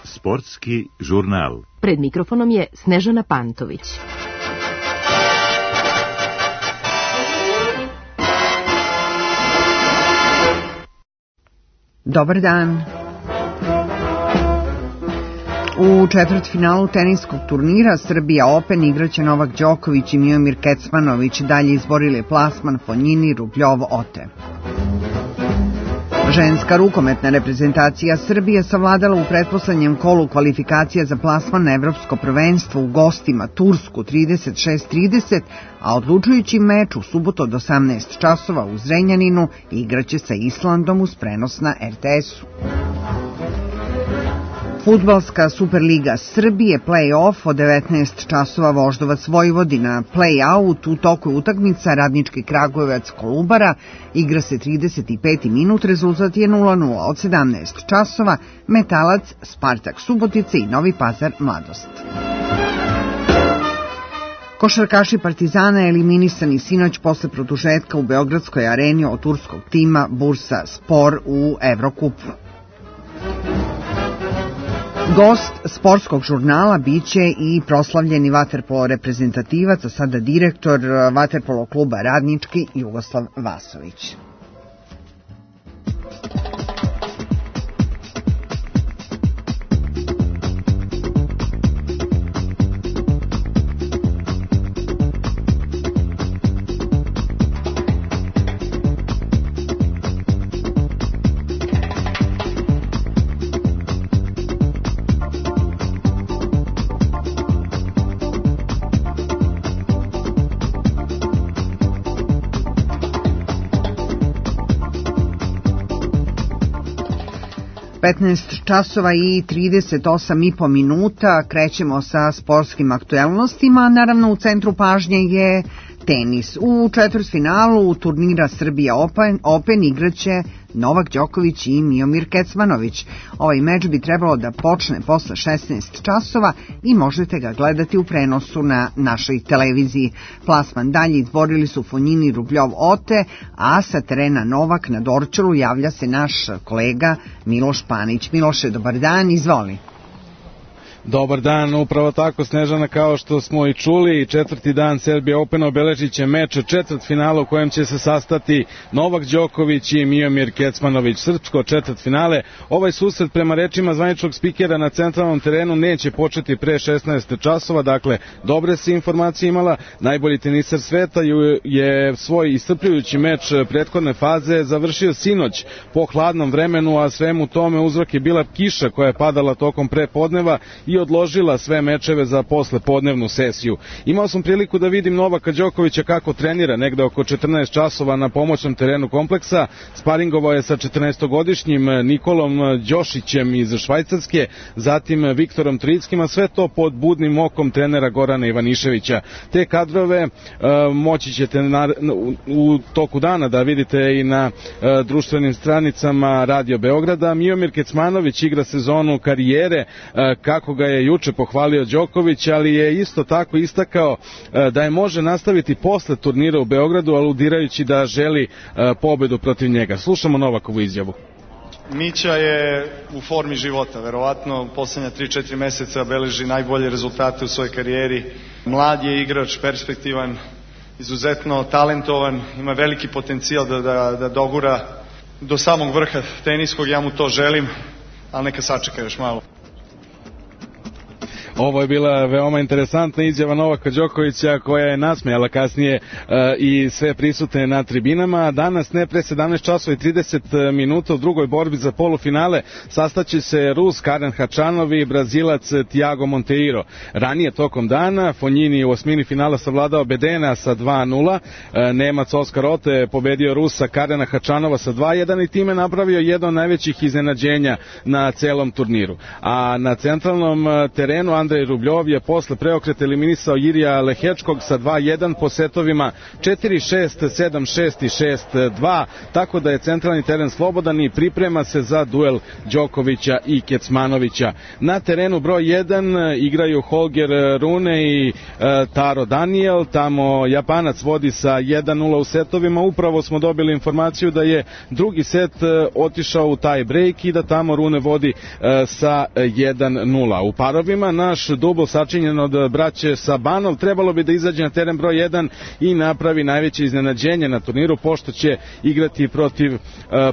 Sportski žurnal. Pred mikrofonom je Snežana Pantović. Dobar dan. U četvrtfinalu teniskog turnira Srbija Open igraće Novak Đoković i Miomir Kecmanović, dalje izborili plasman Fonjini, Rubljov, Ote. Ženska rukometna reprezentacija Srbije savladala u pretposlednjem kolu kvalifikacija za plasman na Evropsko prvenstvo u gostima Tursku 36-30, a odlučujući meč u subotu od 18 časova u Zrenjaninu igraće sa Islandom uz prenos na RTS-u. Fudbalska Superliga Srbije play-off od 19 časova Voždovac Vojvodina. Play-out u toku utakmica Radnički Kragujevac Kolubara igra se 35. minut, rezultat je 0:0. Od 17 časova Metalac, Spartak Subotice i Novi Pazar Mladost. Košarkaši Partizana eliminisani sinoć posle produžetka u Beogradskoj areni od turskog tima Bursa Spor u Evrokupu. Gost sportskog žurnala biće i proslavljeni vaterpolo reprezentativac, a sada direktor vaterpolo kluba Radnički Jugoslav Vasović. Časova i 38,5 minuta, krećemo sa sportskim aktuelnostima, naravno u centru pažnje je tenis. U četvrtfinalu turnira Srbija Open igraće Novak Đoković i Miomir Kecmanović. Ovaj meč bi trebalo da počne posle 16 časova i možete ga gledati u prenosu na našoj televiziji. Plasman dalje izborili su Fonjini, Rubljov, Ote, a sa terena Novak na Dorčelu javlja se naš kolega Miloš Panić. Miloše, dobar dan, izvoli. Dobar dan, upravo tako Snežana, kao što smo i čuli, četvrti dan Serbia Open obeležit će meč četvrtfinala u kojem će se sastati Novak Đoković i Miomir Kecmanović. Srpsko četvrtfinale. Ovaj susret prema rečima zvaničnog spikera na centralnom terenu neće početi pre 16 časova, dakle dobre se informacije imala. Najbolji teniser sveta je svoj iscrpljujući meč prethodne faze završio sinoć po hladnom vremenu, a svemu tome uzrok je bila kiša koja je padala tokom prepodneva i odložila sve mečeve za poslepodnevnu sesiju. Imao sam priliku da vidim Novaka Đokovića kako trenira negde oko 14 časova na pomoćnom terenu kompleksa. Sparingovao je sa 14-godišnjim Nikolom Đošićem iz Švajcarske, zatim Viktorom Trickim, a sve to pod budnim okom trenera Gorana Ivaniševića. Te kadrove moći ćete u toku dana da vidite i na društvenim stranicama Radio Beograda. Miomir Kecmanović igra sezonu karijere, kako ga je juče pohvalio Đoković, ali je isto tako istakao da je može nastaviti posle turnira u Beogradu, aludirajući da želi pobedu protiv njega. Slušamo Novakovu izjavu. Mića je u formi života, verovatno poslednja 3-4 meseca beleži najbolje rezultate u svojoj karijeri. Mlad je igrač, perspektivan, izuzetno talentovan, ima veliki potencijal da dogura do samog vrha teniskog, ja mu to želim, ali neka sačeka još malo. Ovo je bila veoma interesantna izjava Novaka Đokovića koja je nasmejala kasnije i sve prisutne na tribinama. Danas ne pre 17 časova i 30 minuta u drugoj borbi za polufinale sastaće se Rus Karen Hačanov i Brazilac Thiago Monteiro. Ranije tokom dana Fonjini u osmini finala savladao Bedena sa 2:0. Nemac Oskar Ote pobedio Rusa Karena Hačanova sa 2:1 i time napravio jedno od najvećih iznenađenja na celom turniru. A na centralnom terenu Andrej Rubljov je posle preokreta eliminisao Jirija Lehečkog sa 2-1 po setovima 4-6, 7-6 i 6-2, tako da je centralni teren slobodan i priprema se za duel Đokovića i Kecmanovića. Na terenu broj 1 igraju Holger Rune i Taro Daniel, tamo Japanac vodi sa 1-0 u setovima. Upravo smo dobili informaciju da je drugi set otišao u tie break i da tamo Rune vodi sa 1-0. U parovima naš dubl sačinjen od braće Sabanov trebalo bi da izađe na teren broj 1 i napravi najveće iznenađenje na turniru, pošto će igrati protiv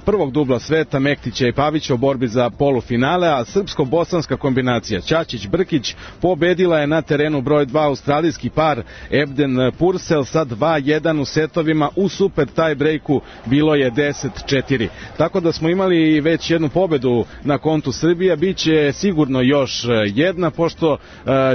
prvog dubla sveta Mektića i Pavića u borbi za polufinale, a srpsko-bosanska kombinacija Ćaćić-Brkić pobedila je na terenu broj 2 australijski par Ebden Purcell sa 2-1 u setovima. U super tie breaku bilo je 10-4. Tako da smo imali već jednu pobedu na kontu Srbija, biće sigurno još jedna, pošto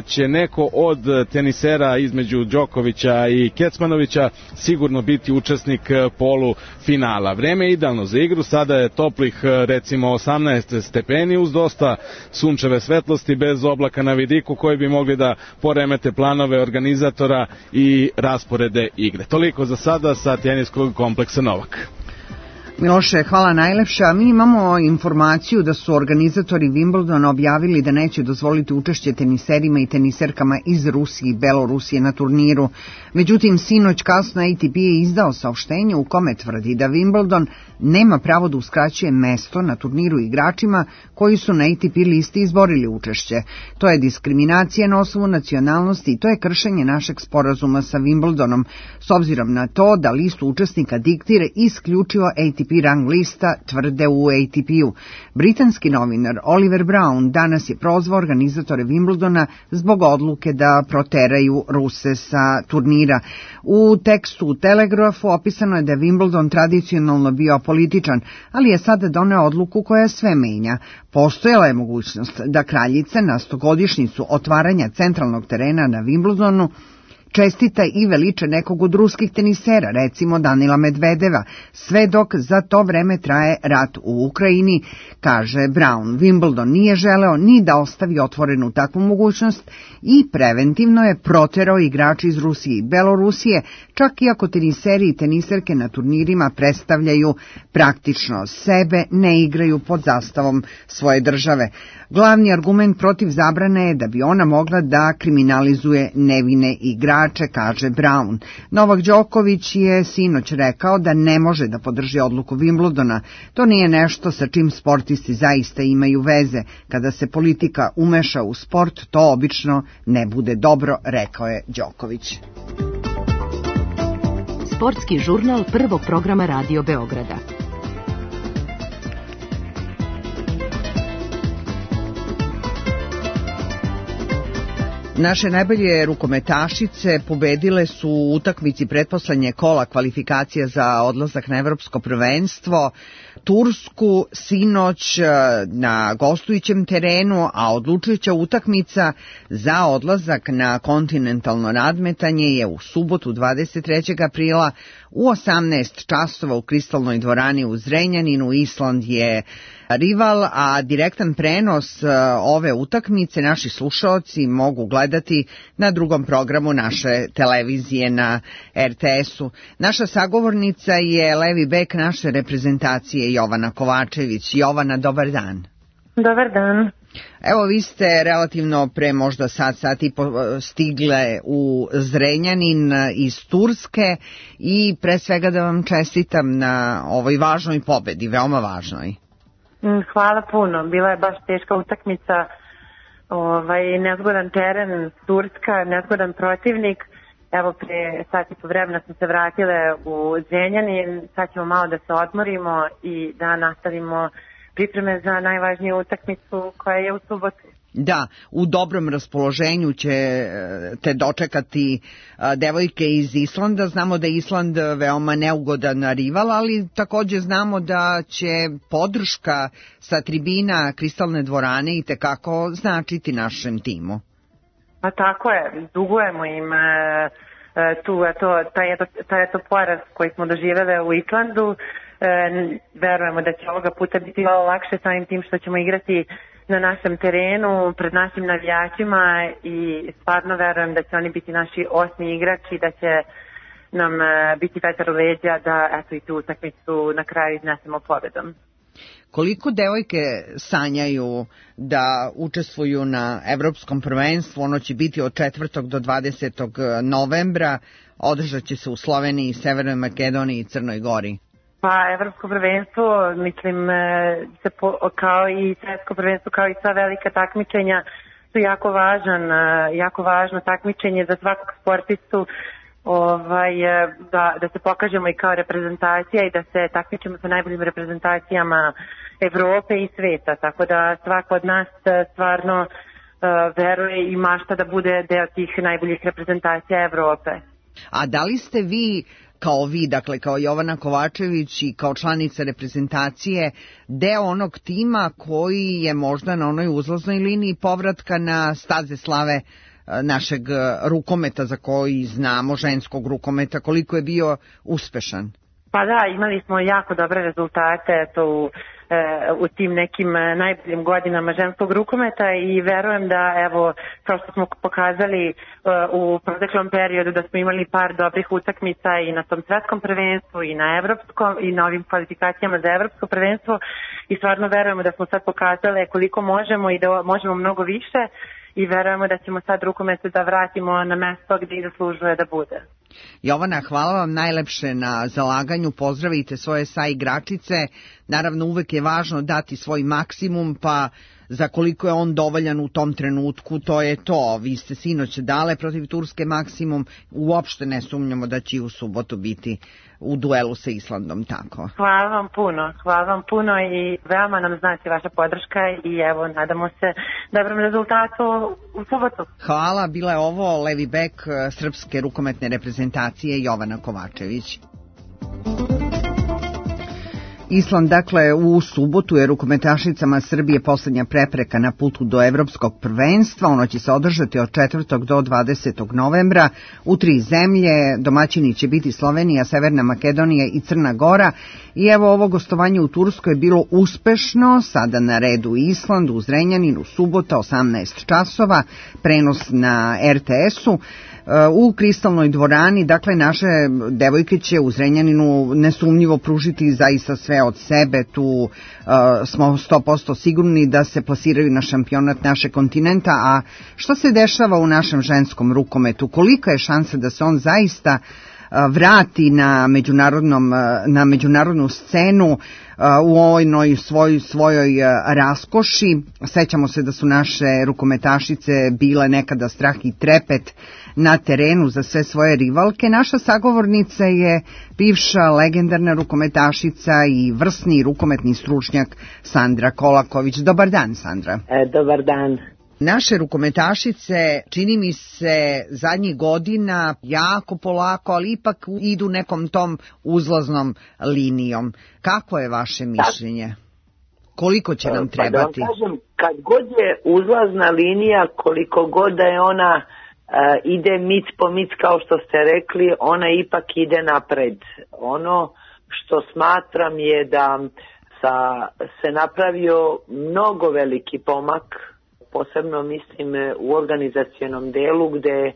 će neko od tenisera između Đokovića i Kecmanovića sigurno biti učesnik polufinala. Vreme je idealno za igru, sada je toplih recimo 18 stepeni uz dosta sunčeve svetlosti, bez oblaka na vidiku koji bi mogli da poremete planove organizatora i rasporede igre. Toliko za sada sa teniskog kompleksa Novak. Miloše, hvala najlepša. Mi imamo informaciju da su organizatori Wimbledona objavili da neće dozvoliti učešće teniserima i teniserkama iz Rusije i Belorusije na turniru. Međutim, sinoć kasno ATP je izdao saopštenje u kome tvrdi da Wimbledon nema pravo da uskraćuje mesto na turniru igračima koji su na ATP listi izborili učešće. To je diskriminacija na osnovu nacionalnosti i to je kršenje našeg sporazuma sa Wimbledonom, s obzirom na to da listu učesnika diktira isključivo ATP rang lista, tvrde u ATP-u. Britanski novinar Oliver Brown danas je prozvao organizatore Wimbledona zbog odluke da proteraju Ruse sa turnira. U tekstu u Telegrafu opisano je da je Wimbledon tradicionalno bio političan, ali je sada doneo odluku koja sve menja. Postojala je mogućnost da kraljica na 100-godišnjicu otvaranja centralnog terena na Wimbledonu čestita i veliča nekog od ruskih tenisera, recimo Danila Medvedeva, sve dok za to vreme traje rat u Ukrajini, kaže Brown. Wimbledon nije želeo ni da ostavi otvorenu takvu mogućnost i preventivno je proterao igrači iz Rusije i Belorusije, čak i ako teniseri i teniserke na turnirima predstavljaju praktično sebe, ne igraju pod zastavom svoje države. Glavni argument protiv zabrane je da bi ona mogla da kriminalizuje nevine igrače, kaže Brown. Novak Đoković je sinoć rekao da ne može da podrži odluku Wimbledona. To nije nešto sa čim sportisti zaista imaju veze. Kada se politika umeša u sport, to obično ne bude dobro, rekao je Đoković. Sportski žurnal prvog programa Radio Beograda. Naše najbolje rukometašice pobedile su u utakmici pretposlednje kola kvalifikacija za odlazak na evropsko prvenstvo Tursku sinoć na gostujućem terenu, a odlučujuća utakmica za odlazak na kontinentalno nadmetanje je u subotu 23. aprila u 18 časova u Kristalnoj dvorani u Zrenjaninu. Island je rival, a direktan prenos ove utakmice naši slušaoci mogu gledati na drugom programu naše televizije na RTS-u. Naša sagovornica je levi bek naše reprezentacije Jovana Kovačević. Jovana, dobar dan. Dobar dan. Evo, vi ste relativno pre možda sat i po stigle u Zrenjanin iz Turske i pre svega da vam čestitam na ovoj važnoj pobedi, veoma važnoj. Hvala puno, bila je baš teška utakmica, nezgodan teren, Turska, nezgodan protivnik. Evo pre sat i po vremena smo se vratile u Zrenjanin, sad ćemo malo da se odmorimo i da nastavimo pripreme za najvažniju utakmicu koja je u subotu. Da, u dobrom raspoloženju će te dočekati devojke iz Islanda. Znamo da je Island veoma neugodan rival, ali također znamo da će podrška sa tribina Kristalne dvorane itekako značiti našem timu. Pa tako je, dugujemo im taj poraz koji smo doživjeli u Islandu. Verujemo da će ovoga puta biti malo lakše samim tim što ćemo igrati na našem terenu, pred našim navijačima i stvarno verujem da će oni biti naši osmi igrači, da će nam biti vetar u leđa da eto i tu utakmicu na kraju iznesemo pobedom. Koliko devojke sanjaju da učestvuju na evropskom prvenstvu? Ono će biti od 4. do 20. novembra, održat će se u Sloveniji, Severnoj Makedoniji i Crnoj Gori. Pa evropsko prvenstvo, mislim, kao i svetsko prvenstvo, kao i sva velika takmičenja su jako važno takmičenje za svakog sportistu, da se pokažemo i kao reprezentacija i da se takmičimo sa najboljim reprezentacijama Evrope i sveta, tako da svako od nas stvarno veruje i mašta da bude deo tih najboljih reprezentacija Evrope. A da li ste vi, dakle kao Jovana Kovačević i kao članica reprezentacije, deo onog tima koji je možda na onoj uzlaznoj liniji povratka na staze slave našeg rukometa za koji znamo, ženskog rukometa, koliko je bio uspešan? Pa da, imali smo jako dobre rezultate u tim nekim najboljim godinama ženskog rukometa i verujem da, evo, kao što smo pokazali u proteklom periodu, da smo imali par dobrih utakmica i na tom svetskom prvenstvu i na evropskom i na ovim kvalifikacijama za evropsko prvenstvo i stvarno verujemo da smo sad pokazali koliko možemo i da možemo mnogo više i verujemo da ćemo sad rukomet da vratimo na mesto gdje i zaslužuje da bude. Jovana, hvala vam najlepše na zalaganju, pozdravite svoje saigračice, naravno uvek je važno dati svoj maksimum, pa za koliko je on dovoljan u tom trenutku, to je to. Vi ste sinoć dale protiv Turske maksimum, uopšte ne sumnjamo da će u subotu biti u duelu sa Islandom, tako. Hvala vam puno i veoma nam znači vaša podrška i evo, nadamo se dobrom rezultatu u subotu. Hvala, bila je ovo levi bek srpske rukometne reprezentacije Jovana Kovačević. Island, dakle, u subotu je rukometašicama Srbije poslednja prepreka na putu do evropskog prvenstva. Ono će se održati od 4. do 20. novembra u 3 zemlje. Domaćini će biti Slovenija, Severna Makedonija i Crna Gora. I evo, ovo gostovanje u Turskoj je bilo uspešno. Sada na redu Island u Zrenjaninu, subota 18 časova, prenos na RTS-u. U Kristalnoj dvorani, dakle, naše devojke će u Zrenjaninu nesumnjivo pružiti zaista sve od sebe. Tu smo 100% sigurni da se plasiraju na šampionat našeg kontinenta. A što se dešava u našem ženskom rukometu? Kolika je šansa da se on zaista vrati na međunarodnu scenu u ovoj svojoj raskoši? Sećamo se da su naše rukometašice bile nekada strah i trepet na terenu za sve svoje rivalke. Naša sagovornica je bivša legendarna rukometašica i vrsni rukometni stručnjak Sandra Kolaković. Dobar dan, Sandra. Dobar dan. Naše rukometašice, čini mi se, zadnjih godina jako polako, ali ipak idu nekom tom uzlaznom linijom. Kako je vaše mišljenje? Koliko će nam trebati? Pa da vam kažem, kad god je uzlazna linija, koliko god da je ona ide mic po mic, kao što ste rekli, ona ipak ide napred. Ono što smatram je da se napravio mnogo veliki pomak, posebno mislim u organizacionom delu gde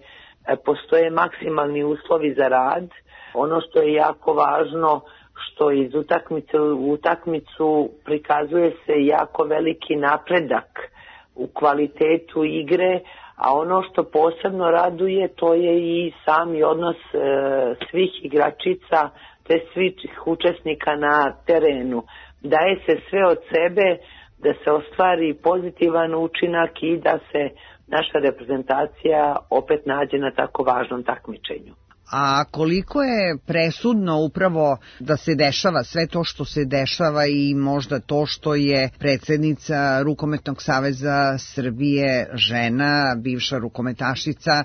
postoje maksimalni uslovi za rad. Ono što je jako važno, što iz utakmice u utakmicu prikazuje se jako veliki napredak u kvalitetu igre, a ono što posebno raduje, to je i sami odnos svih igračica te svih učesnika na terenu. Daje se sve od sebe da se ostvari pozitivan učinak i da se naša reprezentacija opet nađe na tako važnom takmičenju. A koliko je presudno upravo da se dešava sve to što se dešava i možda to što je predsjednica Rukometnog saveza Srbije žena, bivša rukometašica,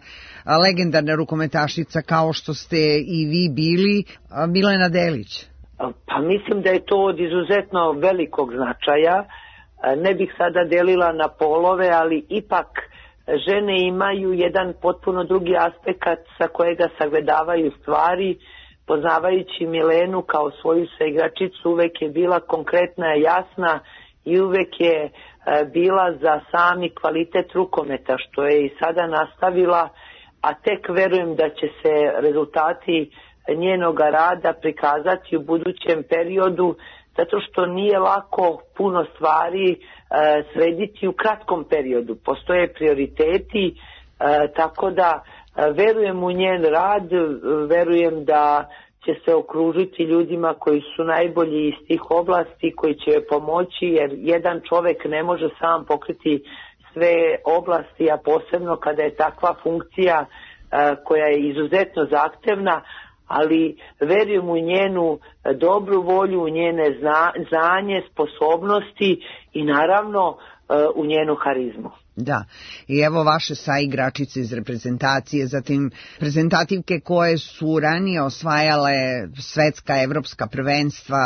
legendarna rukometašica kao što ste i vi bili, Milena Delić? Pa mislim da je to od izuzetno velikog značaja. Ne bih sada delila na polove, ali ipak žene imaju jedan potpuno drugi aspekt sa kojega sagledavaju stvari. Poznavajući Milenu kao svoju saigračicu, uvek je bila konkretna, jasna i uvek je bila za sami kvalitet rukometa, što je i sada nastavila, a tek verujem da će se rezultati njenog rada prikazati u budućem periodu, zato što nije lako puno stvari srediti u kratkom periodu. Postoje prioriteti, tako da verujem u njen rad, verujem da će se okružiti ljudima koji su najbolji iz tih oblasti, koji će joj pomoći, jer jedan čovek ne može sam pokriti sve oblasti, a posebno kada je takva funkcija koja je izuzetno zahtevna, ali verujem u njenu dobru volju, u njene znanje, sposobnosti i naravno u njenu harizmu. Da, i evo vaše saigračice iz reprezentacije, zatim reprezentativke koje su ranije osvajale svetska, evropska prvenstva,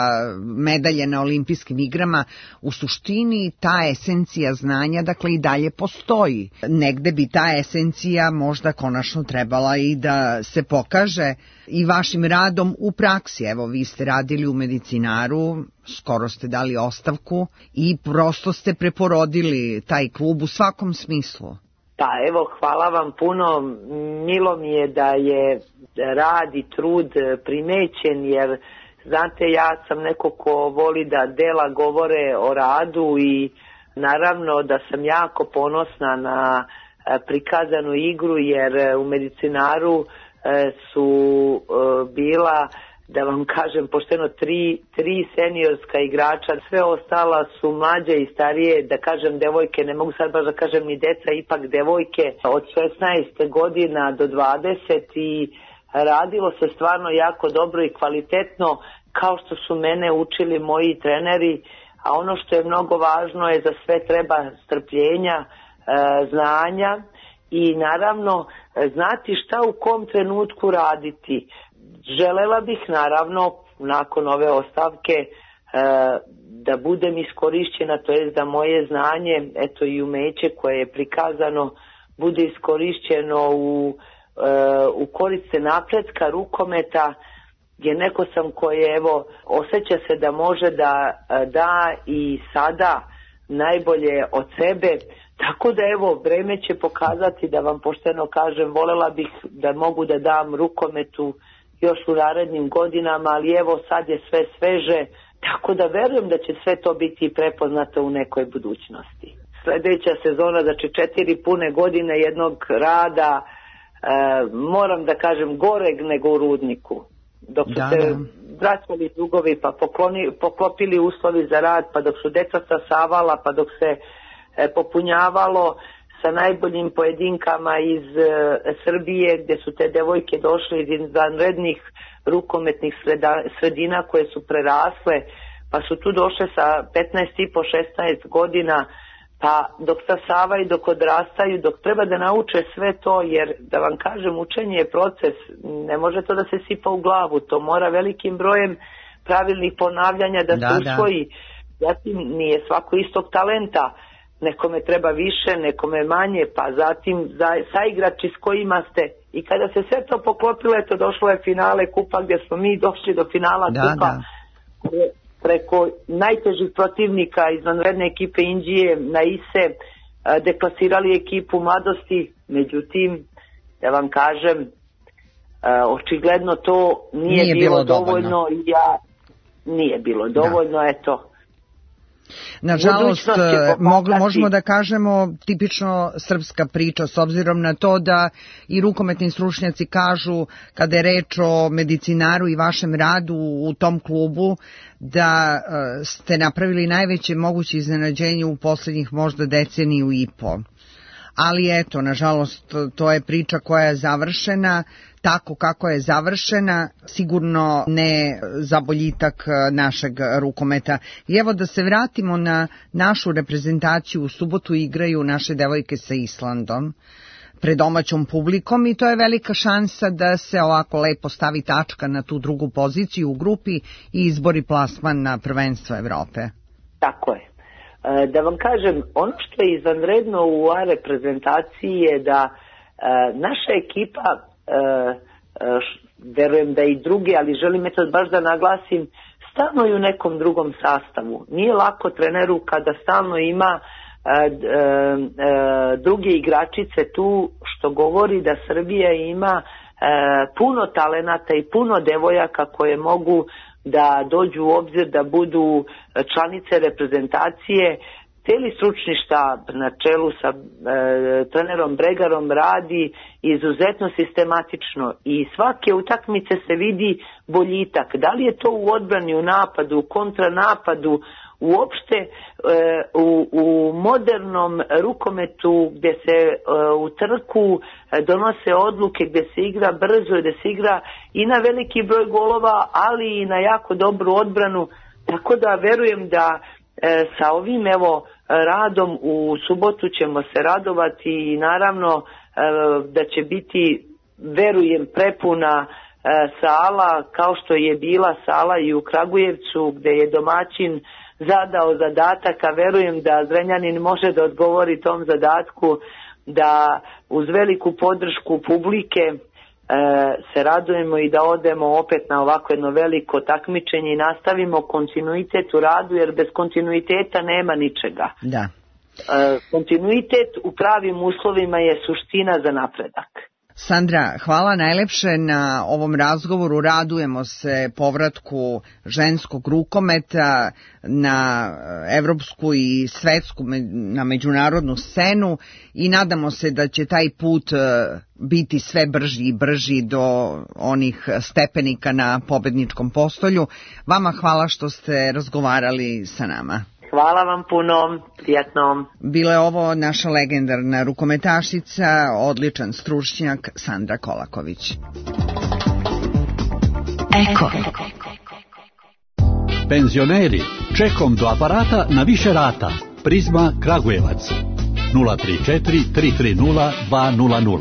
medalje na olimpijskim igrama, u suštini ta esencija znanja, dakle, i dalje postoji. Negde bi ta esencija možda konačno trebala i da se pokaže i vašim radom u praksi. Evo, vi ste radili u Medicinaru, skoro ste dali ostavku i prosto ste preporodili taj klub u svakom smislu. Pa evo, hvala vam puno. Milo mi je da je rad i trud primećen, jer znate, ja sam neko ko voli da dela govore o radu i naravno da sam jako ponosna na prikazanu igru, jer u Medicinaru su bila, da vam kažem pošteno, tri seniorska igrača, sve ostala su mlađe i starije, da kažem devojke, ne mogu sad baš da kažem ni deca, ipak devojke od 16 godina do 20 i radilo se stvarno jako dobro i kvalitetno, kao što su mene učili moji treneri, a ono što je mnogo važno je za sve treba strpljenja, znanja i naravno znati šta u kom trenutku raditi. Želela bih naravno nakon ove ostavke da budem iskorišćena, to jest da moje znanje, eto i umeće koje je prikazano, bude iskorišćeno u korist napretka rukometa, jer neko sam koji evo osjeća se da može da i sada najbolje od sebe. Tako da evo, vreme će pokazati, da vam pošteno kažem, volela bih da mogu da dam rukometu još u narednim godinama, ali evo sad je sve sveže, tako da verujem da će sve to biti prepoznato u nekoj budućnosti. Sljedeća sezona, znači 4 pune godine jednog rada, moram da kažem goreg nego u Rudniku. Dok su se vraćali dugovi, pa poklopili uslovi za rad, pa dok su deca stasavala, pa dok se popunjavalo sa najboljim pojedinkama iz Srbije, gdje su te devojke došle iz izvanrednih rukometnih sredina koje su prerasle, pa su tu došle sa 15,5-16 godina, pa dok stasavaju, dok odrastaju, dok treba da nauče sve to, jer da vam kažem, učenje je proces, ne može to da se sipa u glavu, to mora velikim brojem pravilnih ponavljanja da se usvoji. Zatim nije svako istog talenta, nekome treba više, nekome manje, pa zatim saigrači s kojima ste, i kada se sve to poklopilo, eto došlo je finale kupa gdje smo mi došli do finala kupa preko najtežih protivnika izvanredne ekipe Indije na ISE, deklasirali ekipu mladosti, međutim, da vam kažem, očigledno to nije bilo dovoljno i nije bilo dovoljno, eto. Nažalost, možemo da kažemo tipično srpska priča, s obzirom na to da i rukometni stručnjaci kažu, kada je reč o Medicinaru i vašem radu u tom klubu, da ste napravili najveće moguće iznenađenje u posljednjih možda deceniju i po. Ali eto, nažalost, to je priča koja je završena tako kako je završena, sigurno ne za boljitak našeg rukometa. I evo da se vratimo na našu reprezentaciju, u subotu igraju naše devojke sa Islandom pred domaćom publikom i to je velika šansa da se ovako lepo stavi tačka na tu drugu poziciju u grupi i izbori plasman na prvenstvo Evrope. Tako je. Da vam kažem, ono što je izvanredno u A reprezentaciji je da naša ekipa, verujem da i druge, ali želim baš da naglasim, stalno je u nekom drugom sastavu. Nije lako treneru kada stalno ima druge igračice tu, što govori da Srbija ima puno talenata i puno devojaka koje mogu da dođu u obzir da budu članice reprezentacije. Cijeli stručni štab na čelu sa trenerom Bregarom radi izuzetno sistematično i svake utakmice se vidi boljitak. Da li je to u odbrani, u napadu, u kontranapadu, uopšte u modernom rukometu gdje se u trku donose odluke, gdje se igra brzo i gdje se igra i na veliki broj golova, ali i na jako dobru odbranu. Tako da verujem da sa ovim radom u subotu ćemo se radovati i naravno da će biti, verujem, prepuna sala kao što je bila sala i u Kragujevcu gdje je domaćin zadao zadatak, a verujem da Zrenjanin može da odgovori tom zadatku, da uz veliku podršku publike se radujemo i da odemo opet na ovako jedno veliko takmičenje i nastavimo kontinuitet u radu, jer bez kontinuiteta nema ničega. Da. Kontinuitet u pravim uslovima je suština za napredak. Sandra, hvala najlepše na ovom razgovoru. Radujemo se povratku ženskog rukometa na evropsku i svetsku, na međunarodnu scenu i nadamo se da će taj put biti sve brži i brži do onih stepenika na pobedničkom postolju. Vama hvala što ste razgovarali sa nama. Hvala vam puno, prijatno. Bila je ovo naša legendarna rukometašica, odličan stručnjak Sandra Kolaković. Eko. Penzioneri, čekom do aparata na više rata. Prizma Kragujevac 034 330 200.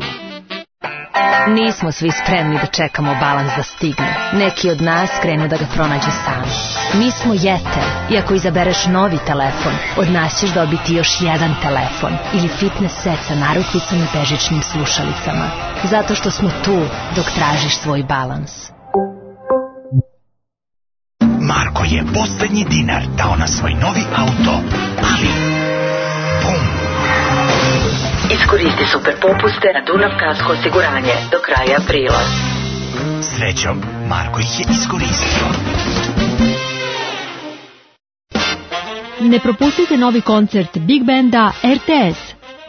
Nismo svi spremni da čekamo balans da stigne. Neki od nas krenu da ga pronađu sami. Mi smo Jeter i ako izabereš novi telefon, od nas ćeš dobiti još jedan telefon ili fitness set sa narukvicom i bežičnim slušalicama. Zato što smo tu dok tražiš svoj balans. Marko je poslednji dinar dao na svoj novi auto, ali bum! Iskoristi super popuste na Dunav kasko osiguranje do kraja aprila. Srećom, Marko ih je iskoristio. Ne propustite novi koncert Big Banda RTS.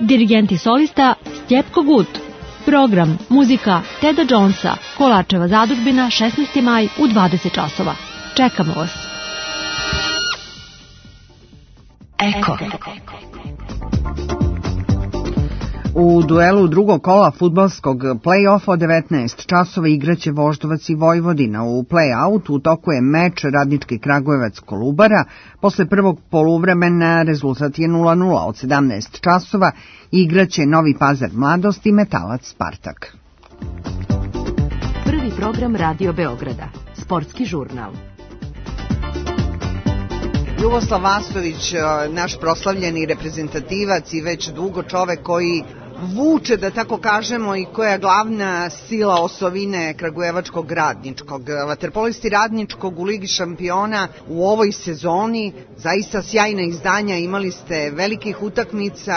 Dirigent i solista Stjepko Gut. Program, muzika Teda Jonesa, Kolačeva zadužbina, 16. maj u 20 časova. Čekamo vas. Eko. U duelu drugog kola fudbalskog play-offa od 19 časova igraće Voždovac i Vojvodina. U play-out u toku je meč Radnički Kragujevac-Kolubara. Posle prvog poluvremena rezultat je 0:0. Od 17 časova igraće Novi Pazar Mladost i Metalac Spartak. Prvi program Radio Beograda. Sportski žurnal. Jugoslav Vasović, naš proslavljeni reprezentativac i već dugo čovek koji vuče, da tako kažemo, i koja je glavna sila osovine kragujevačkog Radničkog. Vaterpolisti Radničkog u Ligi šampiona u ovoj sezoni, zaista sjajna izdanja, imali ste velikih utakmica,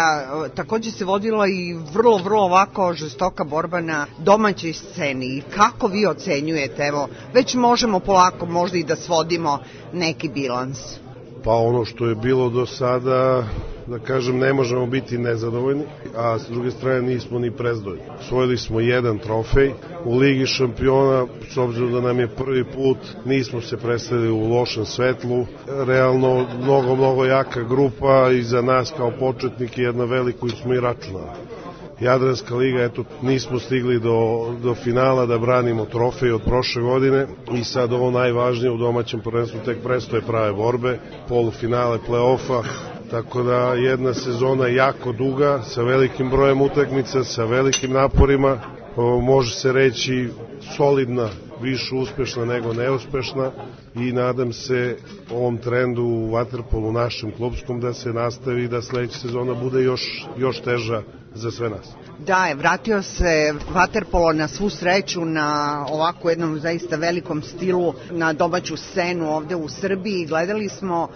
takođe se vodila i vrlo ovako žestoka borba na domaćoj sceni. Kako vi ocenjujete, evo, već možemo polako možda i da svodimo neki bilans? Pa ono što je bilo do sada, da kažem, ne možemo biti nezadovoljni, a s druge strane nismo ni prezadovoljni. Osvojili smo jedan trofej u Ligi šampiona, s obzirom da nam je prvi put, nismo se predstavili u lošem svetlu. Realno, mnogo jaka grupa i za nas kao početnike jedna velika koju smo i računali. Jadranska liga, eto, nismo stigli do finala da branimo trofej od prošle godine i sad ovo najvažnije u domaćem prvenstvu tek prestoje prave borbe, polufinale play-offa, tako da jedna sezona jako duga, sa velikim brojem utakmica, sa velikim naporima, može se reći solidna, više uspešna nego neuspešna i nadam se ovom trendu u vaterpolu našem klubskom da se nastavi i da sledeća sezona bude još teža za sve nas. Da, vratio se vaterpolo na svu sreću na ovako jednom zaista velikom stilu na domaću scenu ovde u Srbiji. Gledali smo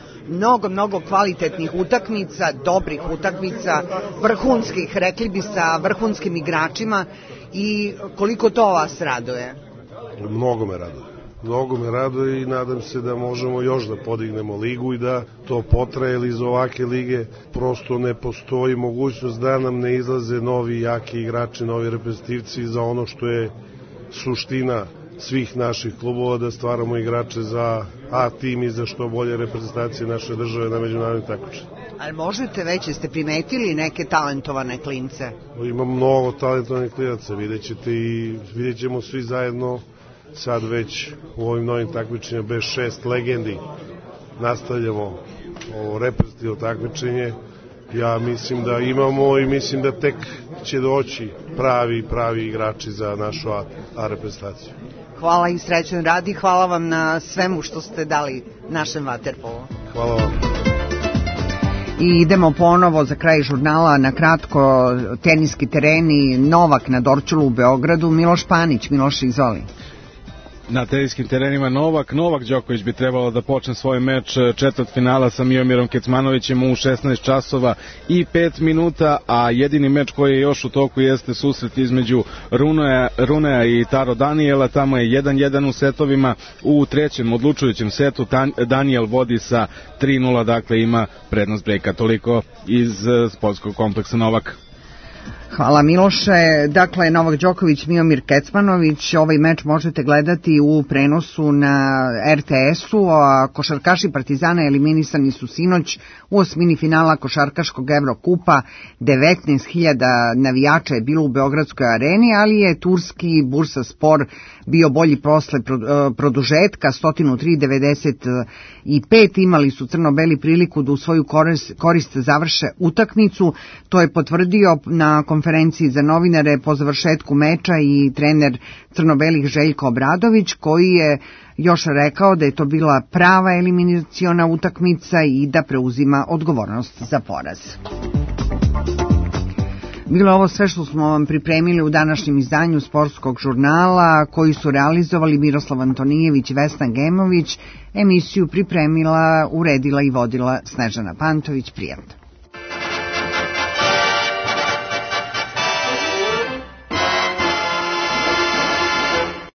mnogo kvalitetnih utakmica, dobrih utakmica, vrhunskih, rekli bi sa vrhunskim igračima. I koliko to vas raduje? Mnogo me raduje i nadam se da možemo još da podignemo ligu i da to potraje, jer iz ovake lige prosto ne postoji mogućnost da nam ne izlaze novi jaki igrači, novi reprezentativci za ono što je suština svih naših klubova, da stvaramo igrače za A tim i za što bolje reprezentacije naše države na međunarodnim takmičenjima. Ali možete već, jeste primetili neke talentovane klince? Ima mnogo talentovanih klinaca, vidjet ćemo svi zajedno sad već u ovim novim takmičenjima bez 6 legendi. Nastavljamo ovo reprezentativno takmičenje. Ja mislim da imamo i mislim da tek će doći pravi igrači za našu A reprezentaciju. Hvala i srećan rad i hvala vam na svemu što ste dali našem vaterpolu. Hvala vam. I idemo ponovo za kraj žurnala na kratko teniski tereni, Novak na Dorćolu u Beogradu, Miloš Panić. Miloš, izvoli. Na teniskim terenima Novak Đoković bi trebalo da počne svoj meč četvrtfinala sa Miomirom Kecmanovićem u 16 časova i 5 minuta, a jedini meč koji je još u toku jeste susret između Runea i Taro Daniela. Tamo je 1-1 u setovima. U trećem odlučujućem setu Daniel vodi sa 3-0, dakle ima prednost brejka. Toliko iz sportskog kompleksa Novak. Hvala Miloše. Dakle, Novak Đoković, Miomir Kecmanović, ovaj meč možete gledati u prenosu na RTS-u, a košarkaši Partizana eliminisani su sinoć u osmini finala košarkaškog Evrokupa. 19.000 navijača je bilo u Beogradskoj areni, ali je turski Bursaspor bio bolji posle produžetka, 103-95. Imali su crno-beli priliku da u svoju korist završe utakmicu. To je potvrdio na konferenciji za novinare po završetku meča i trener crno-belih Željko Obradović, koji je još rekao da je to bila prava eliminaciona utakmica i da preuzima odgovornost za poraz. Bilo je ovo sve što smo vam pripremili u današnjem izdanju sportskog žurnala, koji su realizovali Miroslav Antonijević i Vesna Gemović. Emisiju pripremila, uredila i vodila Snežana Pantović. Prijatno.